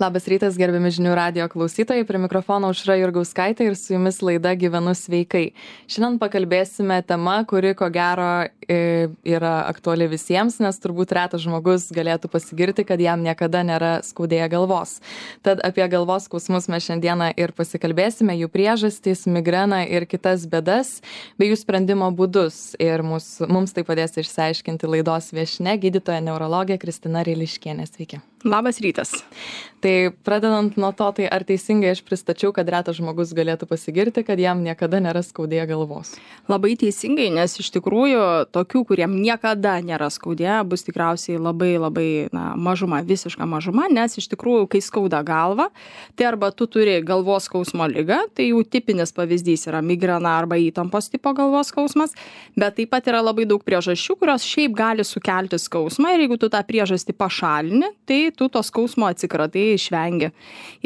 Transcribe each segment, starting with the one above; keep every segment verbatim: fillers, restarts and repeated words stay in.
Labas rytas, gerbiami žinių radijo klausytojai, prie mikrofono Aušra Jurgauskaitė ir su jumis laida Gyvenu sveikai. Šiandien pakalbėsime tema, kuri ko gero yra aktuali visiems, nes turbūt retas žmogus galėtų pasigirti, kad jam niekada nėra skaudėję galvos. Tad apie galvos skausmus mes šiandieną ir pasikalbėsime, jų priežastys, migreną ir kitas bėdas, bei jų sprendimo būdus. Ir mus, mums tai padės išsiaiškinti laidos viešnia, gydytoja neurologė Kristina Ryliškienė. Sveiki. Labas rytas. Tai pradedant nuo to, tai ar teisingai aš pristačiau, kad retas žmogus galėtų pasigirti, kad jam niekada nėra skaudėję galvos? Labai teisingai, nes iš tikrųjų tokių, kuriem niekada nėra skaudėję, bus tikriausiai labai labai na, mažuma, visiška mažuma, nes iš tikrųjų, kai skauda galva, tai arba tu turi galvos skausmo ligą, tai jau tipinis pavyzdys yra migrena arba įtampos tipo galvos skausmas, bet taip pat yra labai daug priežasčių, kurios šiaip gali sukelti skausmą ir jeigu tu tą priežastį pašalini, tai tu to skausmo atsikratai, išvengi.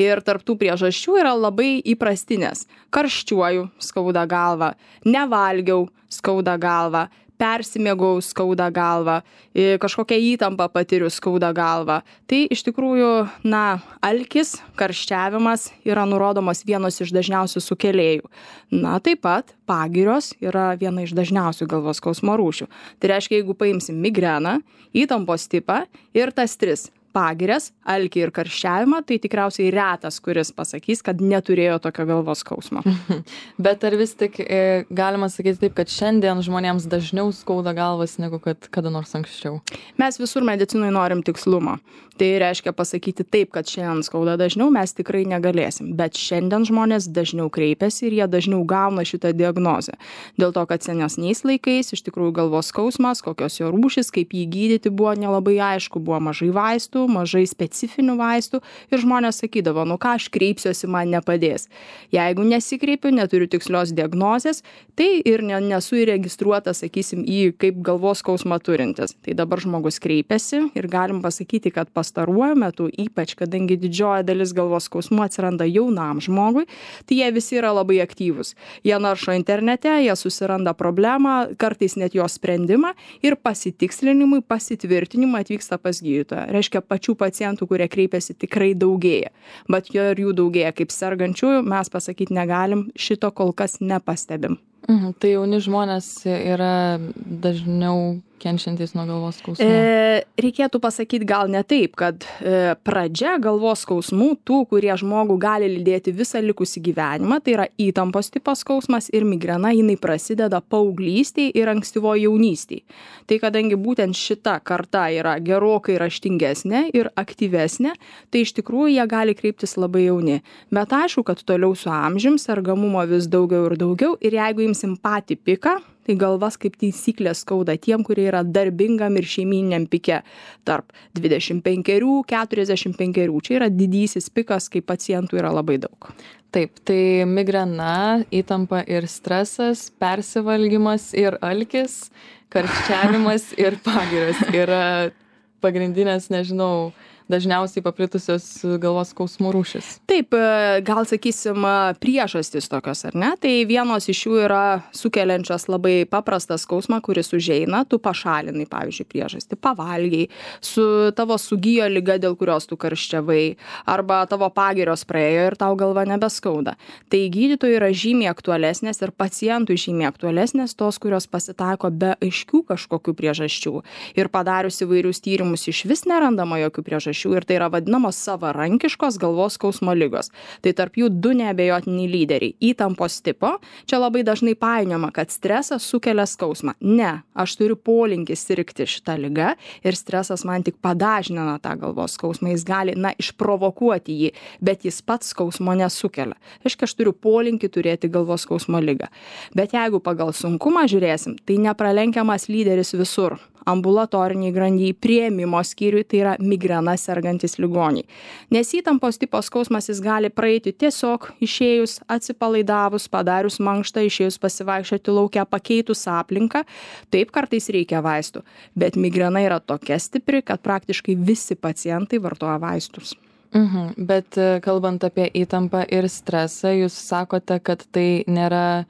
Ir tarptų priežasčių yra labai įprastinės. Karščiuoju, skauda galva, nevalgiau, skauda galva, persimėgau, skauda galva, kažkokią įtampą patiriu, skauda galva. Tai iš tikrųjų, na, alkis, karščiavimas yra nurodomas vienos iš dažniausių sukėlėjų. Na, taip pat pagirios yra viena iš dažniausių galvos skausmo rūšių. Tai reiškia, jeigu paimsim migreną, įtampos tipą ir tas tris pagirias, alkį ir karščiavimą, tai tikriausiai retas, kuris pasakys, kad neturėjo tokio galvos skausmo. Bet ar vis tik e, galima sakyti taip, kad šiandien žmonėms dažniau skauda galvas negu kad kada nors anksčiau? Mes visur medicinoje norim tikslumo. Tai reiškia pasakyti taip, kad šiandien skauda dažniau, mes tikrai negalėsim. Bet šiandien žmonės dažniau kreipiasi ir jie dažniau gauna šitą diagnozę. Dėl to, kad senesniais laikais iš tikrųjų galvos skausmas, kokios jo rūšis, kaip jį gydyti buvo nelabai aišku, buvo mažai vaistų, mažai specifinių vaistų ir žmonės sakydavo, nu ką aš kreipsiuosi, man nepadės. Jeigu nesikreipiu, neturiu tikslios diagnozės, tai ir ne, nesu įregistruotas, sakysim, į kaip galvos skausmą turintis. Tai dabar žmogus kreipiasi ir galim pasakyti, kad pastaruoju metu, ypač kadangi didžioji dalis galvos skausmų atsiranda jaunam žmogui, tai jie visi yra labai aktyvūs. Jie naršo internete, jie susiranda problemą, kartais net jos sprendimą ir pasitikslinimui, pasitvirtinimui atvyksta pas gydytoją. Reiškia, pačių pacientų, kurie kreipiasi, tikrai daugėja. Bet jo ir jų daugėja kaip sergančiųjų, mes pasakyti negalim, šito kol kas nepastebim. Mhm, tai jauni žmonės yra dažniau kenčiantys nuo galvos skausmų? E, reikėtų pasakyti gal ne taip, kad e, pradžia galvos skausmų, tų, kurie žmogų gali lydėti visą likusį gyvenimą, tai yra įtampos tipos skausmas ir migrena, jinai prasideda paauglystėje ir ankstyvoje jaunystėje. Tai kadangi būtent šita karta yra gerokai raštingesnė ir aktyvesnė, tai iš tikrųjų jie gali kreiptis labai jauni. Bet aišku, kad toliau su amžium sergamumo vis daugiau ir daugiau ir jeigu imsim patį piką, tai galvas kaip taisyklė skauda tiem, kurie yra darbingam ir šeimyniniam pike tarp dvidešimt penkerių keturiasdešimt penkerių. Čia yra didysis pikas, kai pacientų yra labai daug. Taip, tai migrena, įtampa ir stresas, persivalgymas ir alkis, karščiavimas ir pagirios yra pagrindinės, nežinau, dažniausiai paplitusios galvos skausmų rūšis. Taip, gal sakysim priežastys tokios, ar ne? Tai vienos iš jų yra sukeliančios labai paprastą skausmą, kuris užeina, tu pašalinai, pavyzdžiui, priežastį, pavalgiai, su tavo sugijo liga, dėl kurios tu karščiavai, arba tavo pagirios praėjo ir tau galva nebeskauda. Tai gydytojų yra žymiai aktualesnės ir pacientų žymiai aktualesnės tos, kurios pasitaiko be aiškių kažkokių priežasčių. Ir padarius įvairius tyrimus iš vis nerandama jokių priežasčių. Ir tai yra vadinamos savarankiškos galvos skausmo ligos. Tai tarp jų du neabejotiniai lyderiai. Įtampos tipo. Čia labai dažnai painiojama, kad stresas sukelia skausmą. Ne, aš turiu polinkį sirgti šitą ligą ir stresas man tik padažnina tą galvos skausmą. Jis gali, na, išprovokuoti jį, bet jis pats skausmo nesukelia. Reiškia, aš turiu polinkį turėti galvos skausmo ligą. Bet jeigu pagal sunkumą žiūrėsim, tai nepralenkiamas lyderis visur. Ambulatoriniai grandyje, priėmimo skyriui, tai yra migrena sergantis ligoniai. Nes įtampos tipo skausmas jis gali praeiti tiesiog išėjus, atsipalaidavus, padarius mankštą, išėjus pasivaikščioti lauke, pakeitus aplinką. Taip kartais reikia vaistų, bet migrena yra tokia stipri, kad praktiškai visi pacientai vartoja vaistus. Mhm. Bet kalbant apie įtampą ir stresą, jūs sakote, kad tai nėra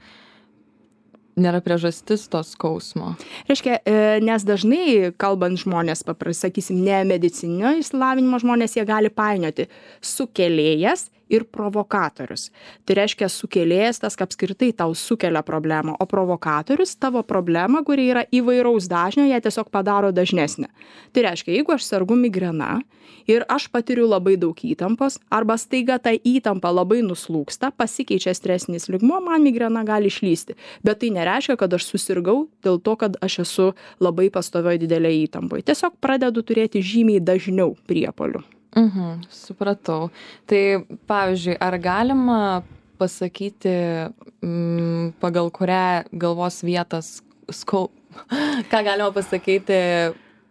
nėra priežastis to skausmo. Reiškia, nes dažnai, kalbant žmonės, pasakysim, ne medicinio išsilavinimo žmonės, jie gali painioti sukėlėjas ir provokatorius. Tai reiškia, sukėlėjas tas, kad apskritai tau sukelia problemą, o provokatorius tavo problema, kuri yra įvairaus dažnio, ją tiesiog padaro dažnesnė. Tai reiškia, jeigu aš sergu migrena ir aš patiriu labai daug įtampos, arba staiga ta įtampa labai nuslūksta, pasikeičia stresinis lygmuo, man migrena gali išlysti. Bet tai nereiškia, kad aš susirgau dėl to, kad aš esu labai pastovioj didelė įtampoje. Tiesiog pradedu turėti žymiai dažniau priepuolių. Mhm, supratau. Tai, pavyzdžiui, ar galima pasakyti, m, pagal kurią galvos vietas skau... Ką galima pasakyti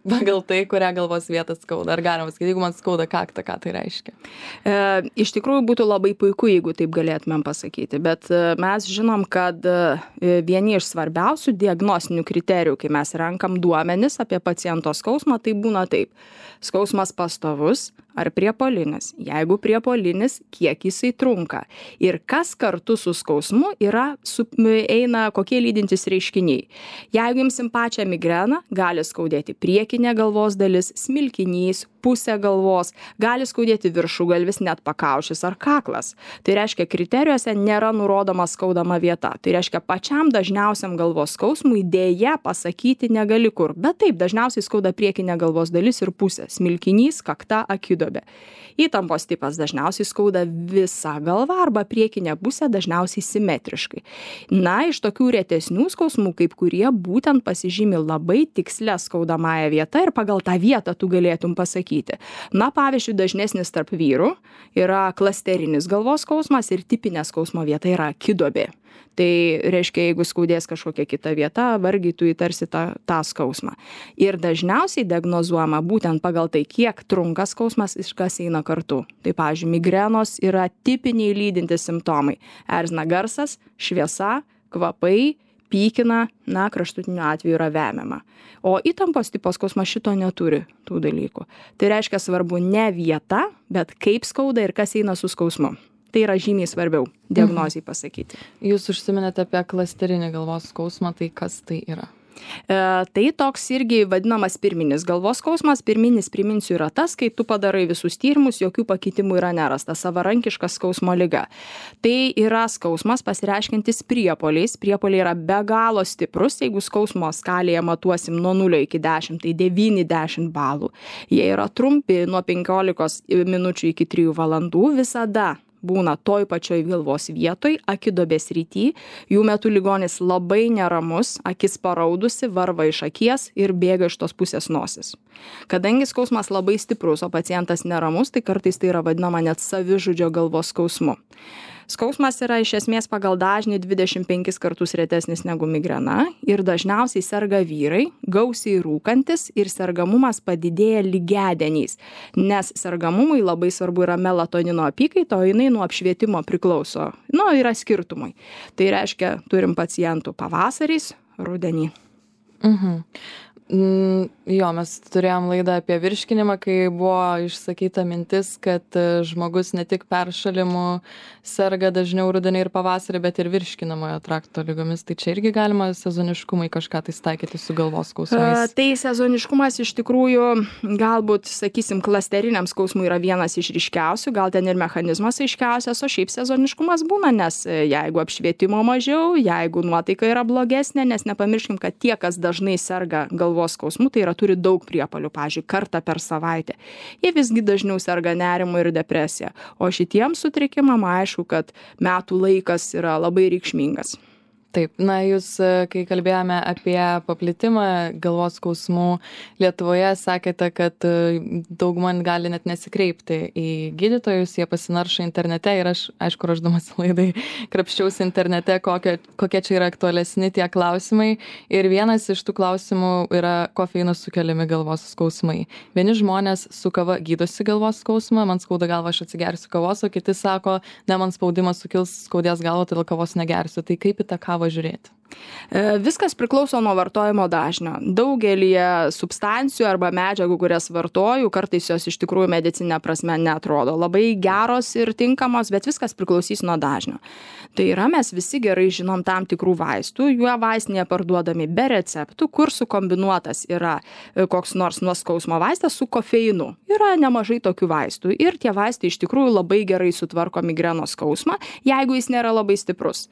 pagal tai, kurią galvos vietą skauda? Ar galima pasakyti, jeigu man skauda kaktą, ką tai reiškia? E, iš tikrųjų būtų labai puiku, jeigu taip galėtumėm pasakyti, bet mes žinom, kad vieni iš svarbiausių diagnostinių kriterijų, kai mes renkam duomenis apie paciento skausmą, tai būna taip. Skausmas pastovus ar priepuolinis. Jeigu priepuolinis, kiek jisai trunka. Ir kas kartu su skausmu yra, su, eina kokie lydintys reiškiniai. Jeigu imsim pačią migreną, gali skaudėti priekinė galvos dalis, smilkinys, pusė galvos, gali skaudėti viršugalvis, net pakaušis ar kaklas. Tai reiškia, kriterijuose nėra nurodoma skaudama vieta. Tai reiškia, pačiam dažniausiam galvos skausmui dėja pasakyti negali kur. Bet taip, dažniausiai skauda priekinė galvos dalis ir pusė. Smilkinys, kakta, akidobė. Įtampos tipas dažniausiai skauda visą galvą arba priekinę pusę dažniausiai simetriškai. Na, iš tokių retesnių skausmų, kaip kurie būtent pasižymi labai tikslę skaudamąją vietą ir pagal tą vietą tu galėtum pasakyti. Na, pavyzdžiui, dažnesnis tarp vyrų yra klasterinis galvos skausmas ir tipinė skausmo vieta yra akidobė. Tai reiškia, jeigu skaudės kažkokia kita vieta, vargiai tu įtarsi tą, tą skausmą. Ir dažniausiai diagnozuojama būtent pagal tai, kiek trunka skausmas ir kas eina kartu. Tai, pavyzdžiui, migrenos yra tipiniai lydintys simptomai. Erzina garsas, šviesa, kvapai, pykina, na, kraštutiniu atveju yra vemiama. O įtampos tipo skausmas šito neturi tų dalykų. Tai reiškia, svarbu ne vieta, bet kaip skauda ir kas eina su skausmu. Tai yra žymiai svarbiau diagnozijai pasakyti. Jūs užsiminėte apie klasterinį galvos skausmą, tai kas tai yra? E, tai toks irgi vadinamas pirminis galvos skausmas. Pirminis, priminsiu, yra tas, kai tu padarai visus tyrimus, jokių pakitimų yra nerasta, savarankiška skausmo liga. Tai yra skausmas pasireiškiantis priepuoliais. Priepuoliai yra be galo stiprus. Jeigu skausmo skalėje matuosim nuo nulio iki dešimt, tai devyniasdešimt balų. Jie yra trumpi nuo penkiolikos minučių iki trijų valandų visada. Būna toj pačioj galvos vietoj, akidobės rytį, jų metu ligonis labai neramus, akis paraudusi, varva iš akies ir bėga iš tos pusės nosis. Kadangi skausmas labai stiprus, o pacientas neramus, tai kartais tai yra vadinama net savižudžio galvos skausmu. Skausmas yra iš esmės pagal dažnį dvidešimt penkis kartus retesnis negu migrena ir dažniausiai serga vyrai, gausiai rūkantis ir sergamumas padidėja lygiadieniais, nes sergamumui labai svarbu yra melatonino apykaita, o jinai nuo apšvietimo priklauso. Nu, yra skirtumai. Tai reiškia, turim pacientų pavasariais, rudenį. Mhm. Mm, jo, mes turėjom laidą apie virškinimą, kai buvo išsakyta mintis, kad žmogus ne tik peršalimu serga dažniau rudenį ir pavasarį, bet ir virškinamojo trakto lygomis. Tai čia irgi galima sezoniškumai kažką tai taikyti su galvos skausmais. Tai sezoniškumas iš tikrųjų galbūt, sakysim, klasteriniam skausmui yra vienas iš ryškiausių, gal ten ir mechanizmas aiškiausias, o šiaip sezoniškumas būna, nes jeigu apšvietimo mažiau, jeigu nuotaika yra blogesnė, nes nepamirškim, kad tie, kas dažnai serga galvos skausmų, tai yra turi daug priepuolių, pavyzdžiui, kartą per savaitę. Jie visgi dažniau serga nerimu ir depresija. O šitiems sutrikimam aišku, kad metų laikas yra labai reikšmingas. Taip, na jūs, kai kalbėjome apie paplitimą galvos skausmų Lietuvoje, sakėte, kad dauguma gali net nesikreipti į gydytojus, jie pasinaršo internete ir aš, aišku, ruošdamas laidai, krapščiausi internete, kokie, kokie čia yra aktualesni tie klausimai. Ir vienas iš tų klausimų yra kofeino sukeliami galvos skausmai. Vieni žmonės su kava gydosi galvos skausmą, man skauda galva, aš atsigersiu kavos, o kiti sako, ne, man spaudimas sukils, skaudės galva, todėl kavos negersiu. Tai kaip į tą kavą žiūrėti? Viskas priklauso nuo vartojimo dažnio. Daugelį substancijų arba medžiagų, kurias vartoju, kartais jos iš tikrųjų medicinė prasme neatrodo labai geros ir tinkamos, bet viskas priklausys nuo dažnio. Tai yra, mes visi gerai žinom tam tikrų vaistų, jų vaistinėje parduodami be receptų, kur sukombinuotas yra koks nors nuo skausmo vaistas su kofeinu. Yra nemažai tokių vaistų ir tie vaistai iš tikrųjų labai gerai sutvarko migrenos skausmą, jeigu jis nėra labai stiprus.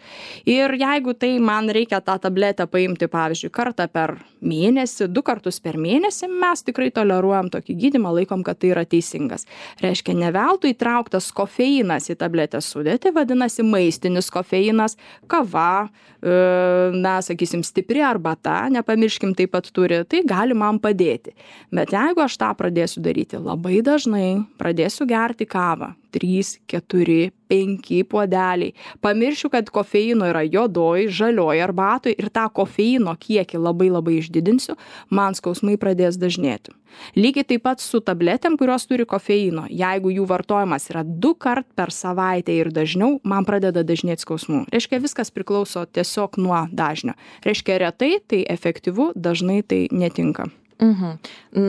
Ir jeigu tai man reikia tą tabletę paimti, pavyzdžiui, kartą per mėnesį, du kartus per mėnesį, mes tikrai toleruojam tokį gydymą, laikom, kad tai yra teisingas. Reiškia, ne veltui įtrauktas kofeinas į tabletės sudėtį, vadinasi maistinis kofeinas, kava, na, sakysim, stipri arbata, nepamirškim, taip pat turi, tai gali man padėti. Bet jeigu aš tą pradėsiu daryti labai dažnai, pradėsiu gerti kavą, trys, keturi, penki puodeliai. Pamiršiu, kad kofeino yra juodoj, žalioj arbatoj ir tą kofeino kiekį labai labai išdidinsiu, man skausmai pradės dažnėti. Lygiai taip pat su tabletėm, kurios turi kofeino. Jeigu jų vartojimas yra du kart per savaitę ir dažniau, man pradeda dažnėti skausmų. Reiškia, viskas priklauso tiesiog nuo dažnio. Reiškia, retai tai efektyvu, dažnai tai netinka. Mhm.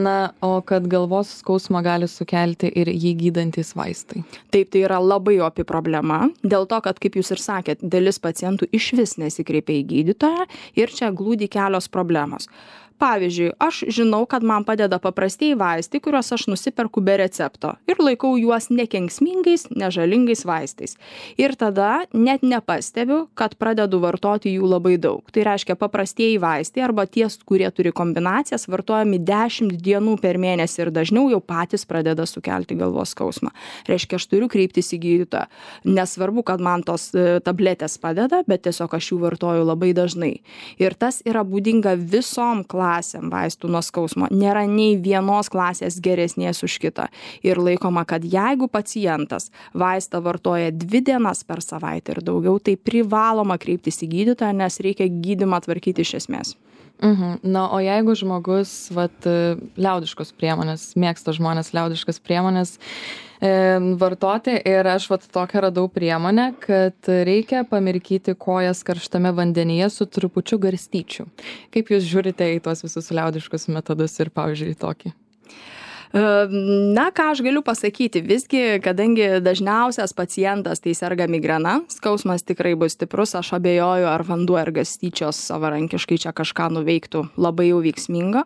Na, o kad galvos skausmą gali sukelti ir jį gydantis vaistai? Taip, tai yra labai opi problema, dėl to, kad, kaip jūs ir sakėt, dalis pacientų išvis nesikreipia į gydytoją ir čia glūdi kelios problemos. Pavyzdžiui, aš žinau, kad man padeda paprastieji vaistai, kuriuos aš nusiperku be recepto ir laikau juos nekenksmingais, nežalingais vaistais. Ir tada net nepastebiu, kad pradedu vartoti jų labai daug. Tai reiškia, paprastieji vaistai arba tie, kurie turi kombinacijas, vartojami dešimt dienų per mėnesį ir dažniau jau patys pradeda sukelti galvos skausmą. Reiškia, aš turiu kreiptis į gydytoją. Nesvarbu, kad man tos tabletės padeda, bet tiesiog aš jų vartoju labai dažnai. Ir tas yra būdinga visom klasėm. klasėm vaistų nuo skausmo. Nėra nei vienos klasės geresnės už kitą. Ir laikoma, kad jeigu pacientas vaistą vartoja dvi dienas per savaitę ir daugiau, tai privaloma kreiptis į gydytoją, nes reikia gydymą tvarkyti iš esmės. Mhm. Na, o jeigu žmogus, vat, liaudiškos priemonės, mėgsta žmonės liaudiškas priemonės e, vartoti ir aš vat tokią radau priemonę, kad reikia pamirkyti kojas karštame vandenyje su trupučiu garstyčių. Kaip jūs žiūrite į tuos visus liaudiškus metodus ir, pavyzdžiui, tokį? Na, ką aš galiu pasakyti, visgi, kadangi dažniausias pacientas tai serga migrena, skausmas tikrai bus stiprus, aš abejoju, ar vanduo ir garstyčios savarankiškai čia kažką nuveiktų labai jau veiksmingo.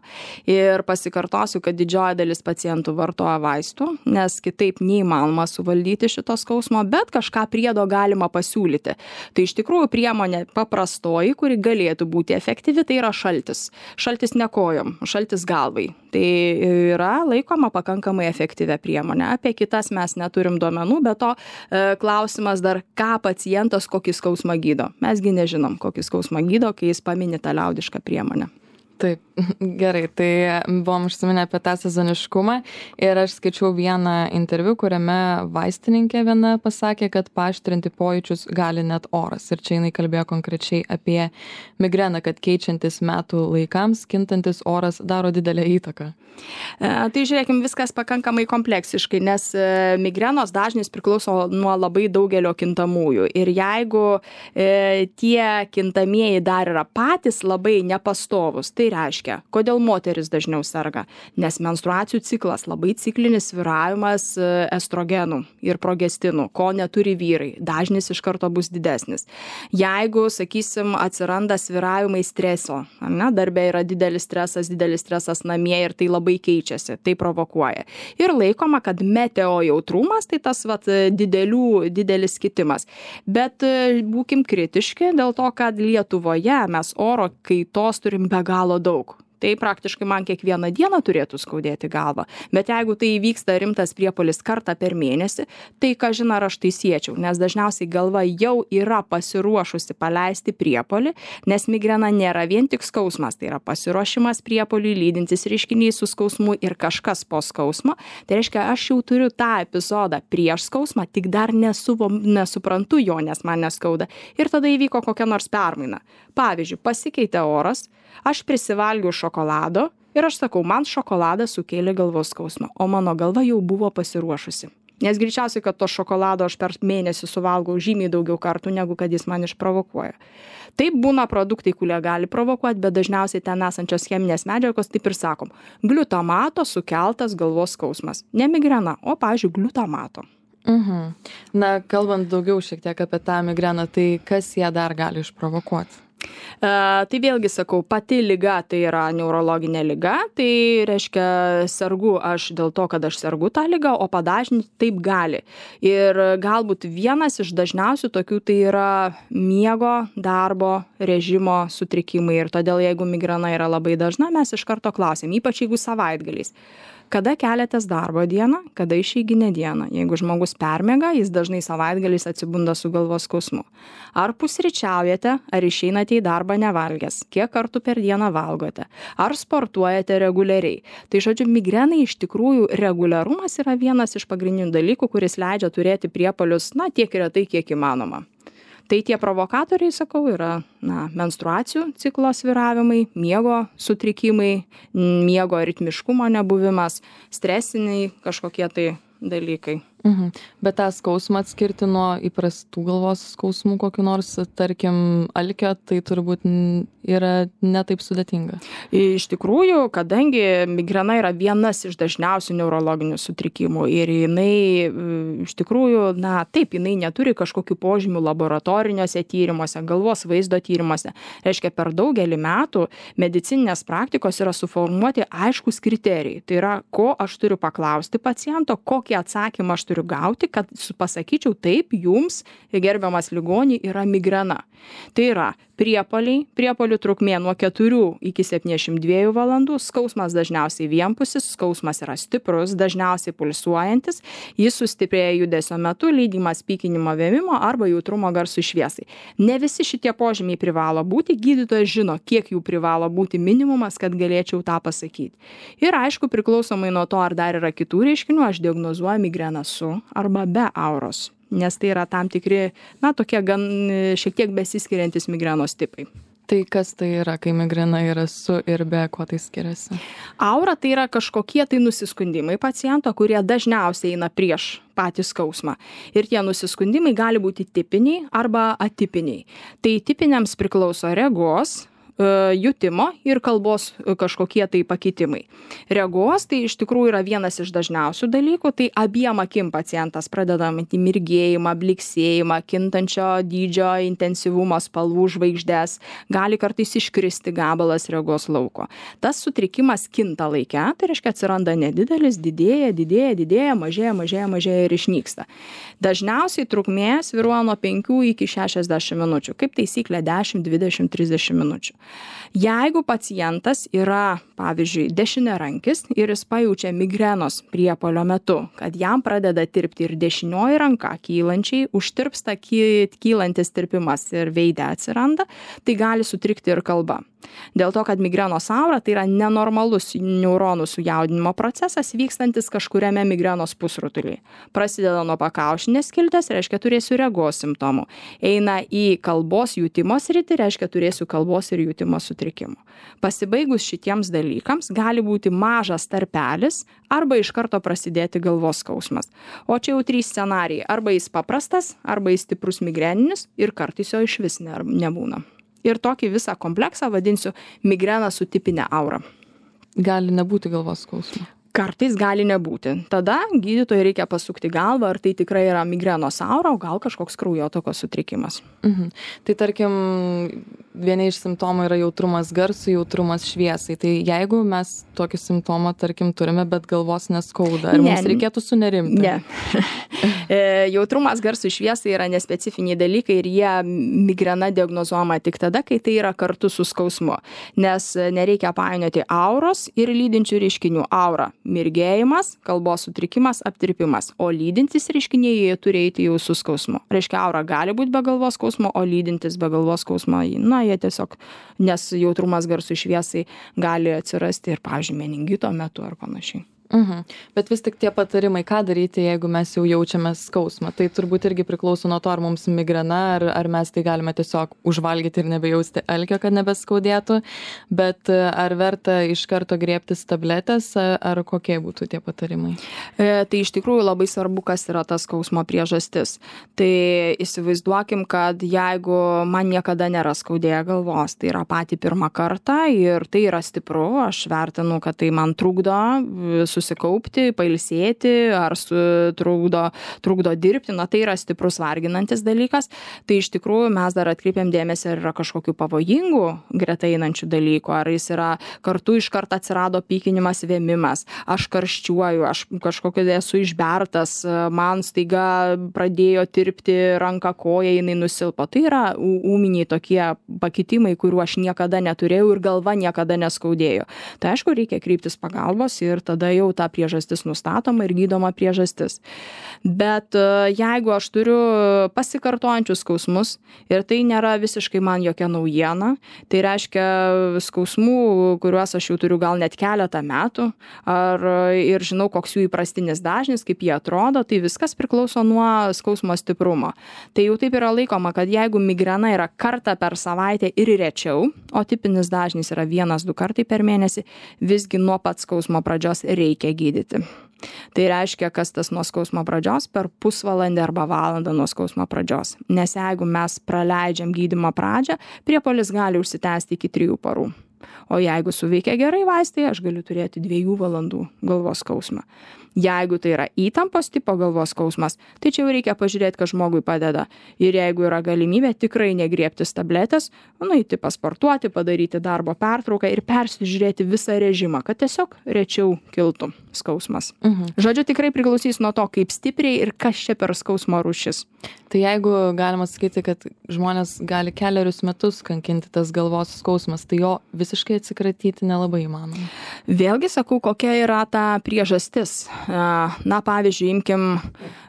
Ir pasikartosiu, kad didžioji dalis pacientų vartoja vaistų, nes kitaip neįmanoma suvaldyti šito skausmo, bet kažką priedo galima pasiūlyti. Tai iš tikrųjų priemonė paprastoji, kuri galėtų būti efektyvi, tai yra šaltis. Šaltis ne kojom, šaltis galvai. Tai yra laikoma pakankamai efektyvia priemonė. Apie kitas mes neturim duomenų, bet to e, klausimas dar, ką pacientas kokį skausmą gydo. Mesgi nežinom, kokį skausmą gydo, kai jis pamini tą liaudišką priemonę. Taip, gerai, tai buvom užsiminę apie tą sezoniškumą ir aš skaičiau vieną interviu, kuriame vaistininkė viena pasakė, kad paaštrinti pojūčius gali net oras. Ir čia jinai kalbėjo konkrečiai apie migreną, kad keičiantis metų laikams, kintantis oras daro didelę įtaką. Tai žiūrėkim, viskas pakankamai kompleksiškai, nes migrenos dažnis priklauso nuo labai daugelio kintamųjų. Ir jeigu e, tie kintamieji dar yra patys labai nepastovus, tai reiškia, kodėl moteris dažniau serga? Nes menstruacijų ciklas, labai ciklinis svyravimas estrogenų ir progestinų, ko neturi vyrai, dažnis iš karto bus didesnis. Jeigu, sakysim, atsiranda svyravimai streso, ne, darbė yra didelis stresas, didelis stresas namie ir tai labai keičiasi, tai provokuoja. Ir laikoma, kad meteo jautrumas, tai tas vat, didelių, didelis kitimas. Bet būkim kritiški dėl to, kad Lietuvoje mes oro kaitos turim be galo daug. Tai praktiškai man kiekvieną dieną turėtų skaudėti galvą. Bet jeigu tai įvyksta rimtas priepuolis kartą per mėnesį, tai ką žinau, aš tai siečiau, nes dažniausiai galva jau yra pasiruošusi paleisti priepuolį, nes migrena nėra vien tik skausmas, tai yra pasiruošimas priepuoliui, lydintis reiškinys su skausmu ir kažkas po skausmo. Tai reiškia, aš jau turiu tą epizodą prieš skausmą, tik dar nesuvo, nesuprantu jo, nes man neskauda. Ir tada įvyko kokia nors permaina. Pavyzdžiui, pasikeitė oras, aš prisivalgiau šokolado ir aš sakau, man šokoladas sukėlė galvos skausmą, o mano galva jau buvo pasiruošusi. Nes greičiausiai, kad to šokolado aš per mėnesį suvalgau žymiai daugiau kartų, negu kad jis man išprovokuoja. Taip būna produktai, kurie gali provokuoti, bet dažniausiai ten esančios cheminės medžiagos, taip ir sakom, gliutamato sukeltas galvos skausmas. Ne migrena, o, pavyzdžiui, gliutamato. Mhm. Na, kalbant daugiau šiek tiek apie tą migreną, tai kas ją dar gali išprovokuoti? E, tai vėlgi sakau, pati liga tai yra neurologinė liga, tai reiškia sergu aš dėl to, kad aš sergu tą ligą, o padažninti taip gali. Ir galbūt vienas iš dažniausių tokių tai yra miego, darbo, režimo sutrikimai. Ir todėl jeigu migrena yra labai dažna, mes iš karto klausim, ypač jeigu savaitgaliais. Kada keliatės darbo dieną, kada išeiginė diena. Jeigu žmogus permiega, jis dažnai savaitgaliais atsibunda su galvos skausmu. Ar pusryčiaujate, ar išeinate į darbą nevalgęs, kiek kartų per dieną valgote, ar sportuojate reguliariai. Tai žodžiu, migrenai iš tikrųjų reguliarumas yra vienas iš pagrindinių dalykų, kuris leidžia turėti priepuolius, na, tiek retai, kiek įmanoma. Tai tie provokatoriai, sakau, yra na, menstruacijų ciklo svyravimai, miego sutrikimai, miego ritmiškumo nebuvimas, stresiniai kažkokie tai dalykai. Mhm. Bet tą skausmą atskirti nuo įprastų galvos skausmų kokiu nors, tarkim, alkio, tai turbūt yra netaip sudėtinga. Iš tikrųjų, kadangi migrena yra vienas iš dažniausių neurologinių sutrikimų ir jinai iš tikrųjų, na taip, jinai neturi kažkokių požymių laboratoriniuose tyrimuose, galvos vaizdo tyrimuose. Reiškia, per daugelį metų medicininės praktikos yra suformuoti aiškus kriterijai. Tai yra, ko aš turiu paklausti paciento, kokį atsakymą aš turiu gauti, kad pasakyčiau taip, jums, gerbiamas ligoniai, yra migrena. Tai yra priepuoliai, priepuolių trukmė nuo keturių iki septyniasdešimt dviejų valandų, skausmas dažniausiai vienpusis, skausmas yra stiprus, dažniausiai pulsuojantis, jis sustiprėja judesio metu, lydimas pykinimo vėmimo arba jautrumo garsui šviesai. Ne visi šitie požymiai privalo būti, gydytojas žino, kiek jų privalo būti minimumas, kad galėčiau tą pasakyti. Ir aišku, priklausomai nuo to, ar dar yra kitų reiškinių, aš diagnozuoju migreną su arba be auros. Nes tai yra tam tikri, na, tokie gan šiek tiek besiskiriantis migrenos tipai. Tai kas tai yra, kai migrena yra su ir be, kuo tai skiriasi? Aura tai yra kažkokie tai nusiskundimai paciento, kurie dažniausiai eina prieš patį skausmą. Ir tie nusiskundimai gali būti tipiniai arba atipiniai. Tai tipiniams priklauso regos, jutimo ir kalbos kažkokie tai pakitimai. Regos tai iš tikrųjų yra vienas iš dažniausių dalykų, tai abiem akim pacientas pradeda matyti mirgėjimą, bliksėjimą, kintančio dydžio, intensyvumo, spalvų žvaigždės, gali kartais iškristi gabalas regos lauko. Tas sutrikimas kinta laike, tai reiškia atsiranda nedidelis, didėja, didėja, didėja, mažėja, mažėja, mažėja ir išnyksta. Dažniausiai trukmė svyruoja nuo penkių iki šešiasdešimt minučių, kaip taisyklė dešimt, dvidešimt, trisdešimt minučių. Jeigu pacientas yra, pavyzdžiui, dešiniarankis ir jis pajaučia migrenos priepuolio metu, kad jam pradeda tirpti ir dešinioji ranka kylančiai, užtirpsta kylantis tirpimas ir veide atsiranda, tai gali sutrikti ir kalba. Dėl to, kad migrenos aura tai yra nenormalus neuronų sujaudinimo procesas vykstantis kažkuriame migrenos pusrutulyje. Prasideda nuo pakaušinės skiltės, reiškia turėsiu regos simptomų. Eina į kalbos jutimo sritį, reiškia turėsiu kalbos ir jutimo sutrikimų. Pasibaigus šitiems dalykams gali būti mažas tarpelis arba iš karto prasidėti galvos skausmas. O čia jau trys scenarijai. Arba jis paprastas, arba jis stiprus migreninis ir kartais jo išvis nebūna. Ir tokį visą kompleksą vadinsiu migrena su tipinė aura. Gali nebūti galvos skausmo. Kartais gali nebūti. Tada gydytojui reikia pasukti galvą, ar tai tikrai yra migrenos aura, o gal kažkoks kraujotakos sutrikimas. Mhm. Tai tarkim, vieni iš simptomų yra jautrumas garsui, jautrumas šviesai. Tai jeigu mes tokį simptomą, tarkim, turime, bet galvos neskauda, ar ne, mums reikėtų sunerimti? Ne. Jautrumas garsui šviesai yra nespecifiniai dalykai ir jie migrena diagnozuojama tik tada, kai tai yra kartu su skausmu. Nes nereikia painioti auros ir lydinčių reiškinių. Aura – mirgėjimas, kalbos sutrikimas, aptirpimas. O lydintis reiškiniai jie turi eiti jau su skausmu. Reiškia, aura gali būti be galvos skausmo, o lydintis be galvos skausmo, na, jie tiesiog, nes jautrumas garsui šviesai gali atsirasti ir, pavyzdžiui, meningito metu ar panašiai. Mhm. Bet vis tik tie patarimai, ką daryti, jeigu mes jau jaučiame skausmą. Tai turbūt irgi priklauso nuo to, ar mums migrena, ar, ar mes tai galime tiesiog užvalgyti ir nebejausti alkio, kad nebeskaudėtų. Bet ar verta iš karto griebtis tabletės, ar kokie būtų tie patarimai? E, tai iš tikrųjų labai svarbu, kas yra tas skausmo priežastis. Tai įsivaizduokim, kad jeigu man niekada nėra skaudėję galvos, tai yra patį pirmą kartą ir tai yra stipru, aš vertinu, kad tai man trukdo su susikaupti, pailsėti ar su, trukdo, trukdo dirbti, na tai yra stiprus varginantis dalykas. Tai iš tikrųjų mes dar atkreipiam dėmesį, ar yra kažkokių pavojingų greta einančių dalykų, ar jis yra kartu iš karto atsirado pykinimas, vėmimas, aš karščiuoju, aš kažkokia esu išbertas, man staiga pradėjo tirpti ranka, koja, jinai nusilpo. Tai yra ūminiai tokie pakitimai, kuriuo aš niekada neturėjau ir galva niekada neskaudėjo. Tai aišku, reikia kreiptis pagalbos ir tada jau ta priežastis nustatoma ir gydoma priežastis. Bet jeigu aš turiu pasikartojančius skausmus ir tai nėra visiškai man jokia naujiena, tai reiškia skausmų, kuriuos aš jau turiu gal net keletą metų, ar ir žinau, koks jų įprastinis dažnis, kaip jie atrodo, tai viskas priklauso nuo skausmo stiprumo. Tai jau taip yra laikoma, kad jeigu migrena yra kartą per savaitę ir rečiau, o tipinis dažnis yra vienas, du kartai per mėnesį, visgi nuo pat skausmo pradžios reikia gydyti. Tai reiškia, kas tas nuo skausmo pradžios per pusvalandį arba valandą nuo skausmo pradžios. Nes jeigu mes praleidžiam gydymo pradžią, priepuolis gali užsitęsti iki trijų parų. O jeigu suveikia gerai vaistai, aš galiu turėti dviejų valandų galvos skausmą. Jeigu tai yra įtampos tipo galvos skausmas, tai čia jau reikia pažiūrėti, kad žmogui padeda. Ir jeigu yra galimybė, tikrai negriebtis tabletės, nueiti pasportuoti, padaryti darbo pertrauką ir persižiūrėti visą režimą, kad tiesiog rečiau kiltų skausmas. Mhm. Žodžiu, tikrai priklausys nuo to, kaip stipriai ir kas čia per skausmo rūšis. Tai jeigu galima sakyti, kad žmonės gali keliarius metus kankinti tas galvos skausmas, tai jo visiškai atsikratyti nelabai įmanoma. Vėlgi sakau, kokia yra ta priežastis. Na, pavyzdžiui, imkim,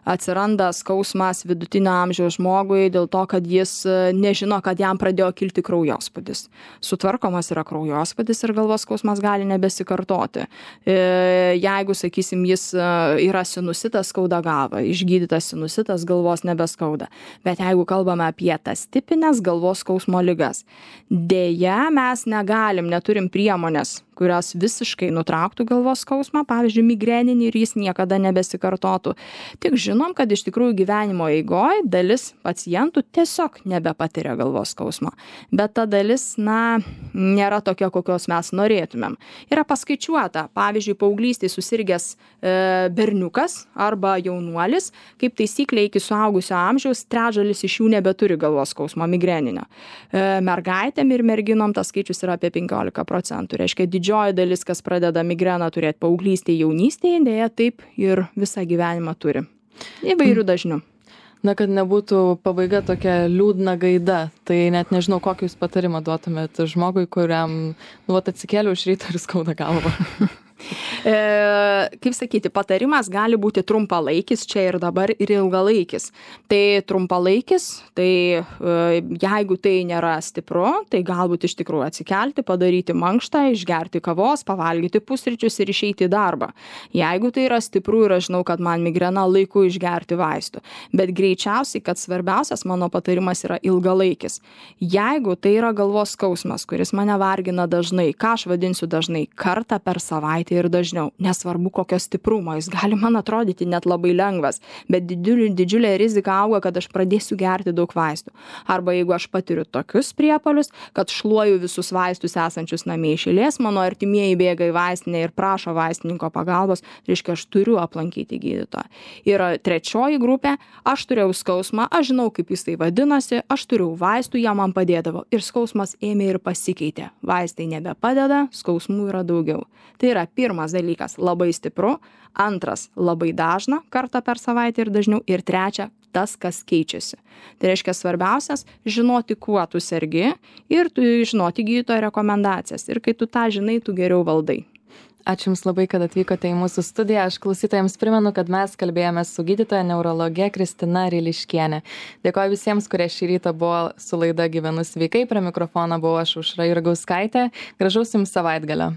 atsiranda skausmas vidutinio amžiaus žmogui dėl to, kad jis nežino, kad jam pradėjo kilti kraujospūdis. Sutvarkomas yra kraujospūdis ir galvos skausmas gali nebesikartoti. Jeigu, sakysim, jis yra sinusitas, skauda galvą, išgydytas sinusitas, galvos nebeskauda. Bet jeigu kalbame apie tas tipinės galvos skausmo ligas, dėja mes negalim, neturim priemonės, kurios visiškai nutrauktų galvos skausmą, pavyzdžiui, migreninį ir jis niekada nebesikartotų. Tik žinom, kad iš tikrųjų gyvenimo eigoje dalis pacientų tiesiog nebepatiria galvos skausmo. Bet ta dalis, na, nėra tokia, kokios mes norėtumėm. Yra paskaičiuota, pavyzdžiui, paauglystėje susirgęs e, berniukas arba jaunuolis, kaip taisyklė iki suaugusio amžiaus, trečdalis iš jų nebeturi galvos skausmo migreninio. E, mergaitėm ir merginom tas skaičius yra apie penkiolika procentų. Reiškia, didžioji dalis, kas pradeda migreną turėti paauglystėje, jaunystėje, dėja taip ir visą gyvenimą turi. Įvairių dažnių. Na, kad nebūtų pabaiga tokia liūdna gaida, tai net nežinau, kokį jūs patarimą duotumėt žmogui, kuriam, nu, atsikėliau iš ryto ir skauda galvą. E, kaip sakyti, patarimas gali būti trumpalaikis čia ir dabar ir ilgalaikis. Tai trumpalaikis, tai e, jeigu tai nėra stipru, tai galbūt iš tikrųjų atsikelti, padaryti mankštą, išgerti kavos, pavalgyti pusryčius ir išeiti į darbą. Jeigu tai yra stipru ir aš žinau, kad man migrena, laiku išgerti vaistų. Bet greičiausiai, kad svarbiausias mano patarimas yra ilgalaikis. Jeigu tai yra galvos skausmas, kuris mane vargina dažnai, ką aš vadinsiu dažnai, kartą per savaitę ir dažniau, nesvarbu kokio stiprumo, jis gali man atrodyti net labai lengvas, bet didžiulė, didžiulė rizika auga, kad aš pradėsiu gerti daug vaistų. Arba jeigu aš patiriu tokius priepuolius, kad šluoju visus vaistus esančius namie iš eilės, mano artimieji bėga į vaistinę ir prašo vaistininko pagalbos, reiškia, aš turiu aplankyti gydytoją. Ir trečioji grupė, aš turėjau skausmą, aš žinau, kaip jis tai vadinasi, aš turėjau vaistų, jie man padėdavo ir skausmas ėmė ir pasikeitė. Vaistai nebepadeda, skausmų yra daugiau. Tai yra pirmas dalykas labai stipru, antras labai dažna, kartą per savaitę ir dažniau, ir trečia tas, kas keičiasi. Tai reiškia svarbiausias žinoti, kuo tu sergi ir tu žinoti gydytojo rekomendacijas. Ir kai tu tą žinai, tu geriau valdai. Ačiū Jums labai, kad atvykote į mūsų studiją. Aš klausytojams primenu, kad mes kalbėjome su gydytoja neurologe Kristina Ryliškienė. Dėkoju visiems, kurie šį rytą buvo su laida Gyvenu sveikai. Prie mikrofono buvau aš, Aušra Jurgauskaitė. Gražaus Jums savaitgalio.